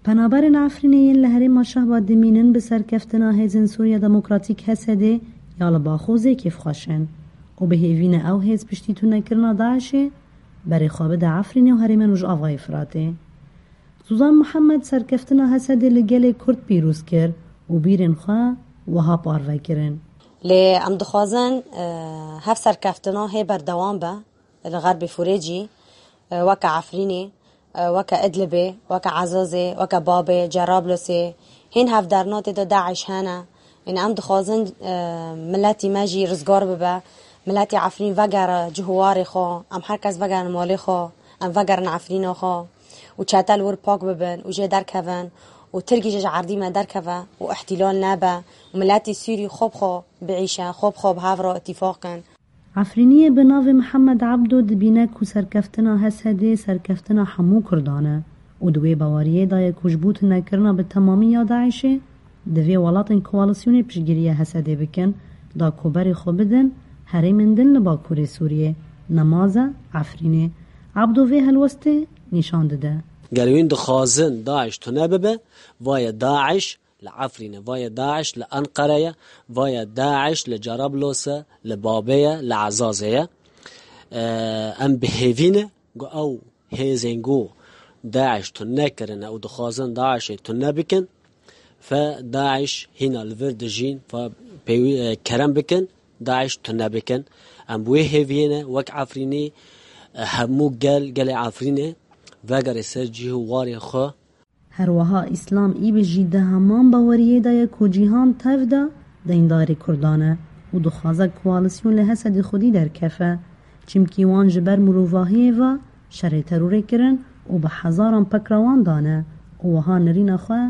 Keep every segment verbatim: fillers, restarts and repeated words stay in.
Penaberên Efrînê yên li herêma Şehba dimînin bi serkeftina Hêzên Sûriya Demokratîk H S D ya li Baxozê kêfxweş in û bi hêvî ne ew hêz piştî tunekirina DAIŞê berê xwe bide Efrînê û herêmên Rojavayê Firatê. Suzan Mihemed serkeftina H S D li gelê Kurd pîroz kir û bîrên xwe wiha parve kirin. Lê em dixwazin, e, hev serkeftina hê berdewam be li Xerbê Fûrê jî, e, weke Efrînê, e, weke Idlibê, weke Ezazê, weke Babê, Cerablosê, hîn hevdernatê de DAIŞ hene. Ên em dixwazin, e, miletî me jî rizgar bibe, miletî Efrîn vegere cih û warê xwe, em her kes vegerin malê xwe, em vegerin Efrîna xwe û çete li wir pak bibin û jê derkevin û Tirkî jî ji erdî me derkeve û îhtîlal nebe û miletî Sûrî xwe bi xwe biîşe, xwe bi xwe bi hev re îtîfaq kin. Efrîniyê bi navê Mihemed Ebdo dibîne ku serkeftina H S D serkeftina hemû Kurdan e û di wê baweriyê de ye ku ji bo tunekirina bi temamî ya DAIŞê, divê welatên koalîsyonê piştgiriya H S D bikin, da ku berê xwe bidin herêmên din li Bakurê Sûriyê, nemaze Efrînê. Ebdo vê helwestê nîşan dide. Ger wîn dixwazin DAIŞ tune bibe, vaye DAIŞ li Efrîn e, vaye DAIŞ li Enqere ye, vaye DAIŞ li Cerablos e, li Babê ye, li Ezazê ye. E, em bi hêvî ne ku ew hêzên ku DAIŞ tune kirine û dixwazin DAIŞê tune bikin, fe DAIŞ hîna li vir dijîn, fe pêwî, e, kerem bikin, DAIŞ tune bikin. Em bi wê hêviyê ne, wek Efrînî, e, hemû gel, gelê Efrînê vegere ser cih û warê xwe. Her wiha Îslam Îbî jî di heman baweriyê de ye ku cîhan tev de deyndarê Kurdan e û dixwaze koalîsyon li H S D'ê xwedî derkefe, çimkî wan ji ber mirovahiyê ve şerê terorê kirin û bi hezaran pekra wan dane û wiha nirîna xwe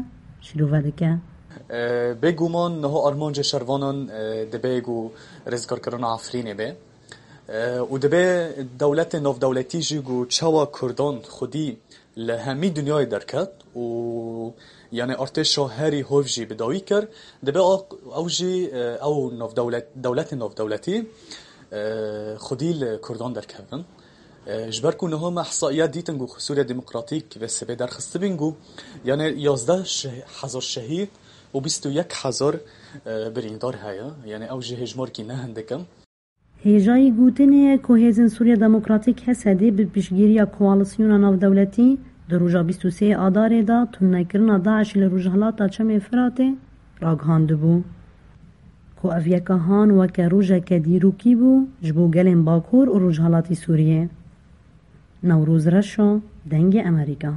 şîrove dike. E, bêguman niha armanca şervanan, e, dibe ku rizgarkirina Efrînê be. E, û dibe dewletê navdewletî jî ku çawa Kurdan xwedî li hemî dinyayê derket û, yanî, artêşa herî hov jî bi dawî kir, dibe a-, ew jî, e, ew navdewlet-, dewletê navdewletî, e, xwedî li Kurdan derkevin. E, ji ber ku niha me ihsaiya dîtin ku Sûriya Demokratîk vê sibê derxistibîn ku, yanî, yazdeh şeh-, hezar şehîd û bîst û yek hezar, e, birîndar heye. Yanî ew jî hêjmarkî ne hindik in. Hêjayî gotinê ye ku Hêzên Sûriya Demokratîk H S D bi piştgiriya koalîsyona navdewletî di roja bîst û sê Adarê de tunekirina DAIŞ li rojhilata Çemê Firatê ragihandibû, ku ev yeka han weke rojeke dîrokî bû ji bo gelên Bakur û Rojhilatî Sûriyê. Newroz Reşo, Dengê Emerîka.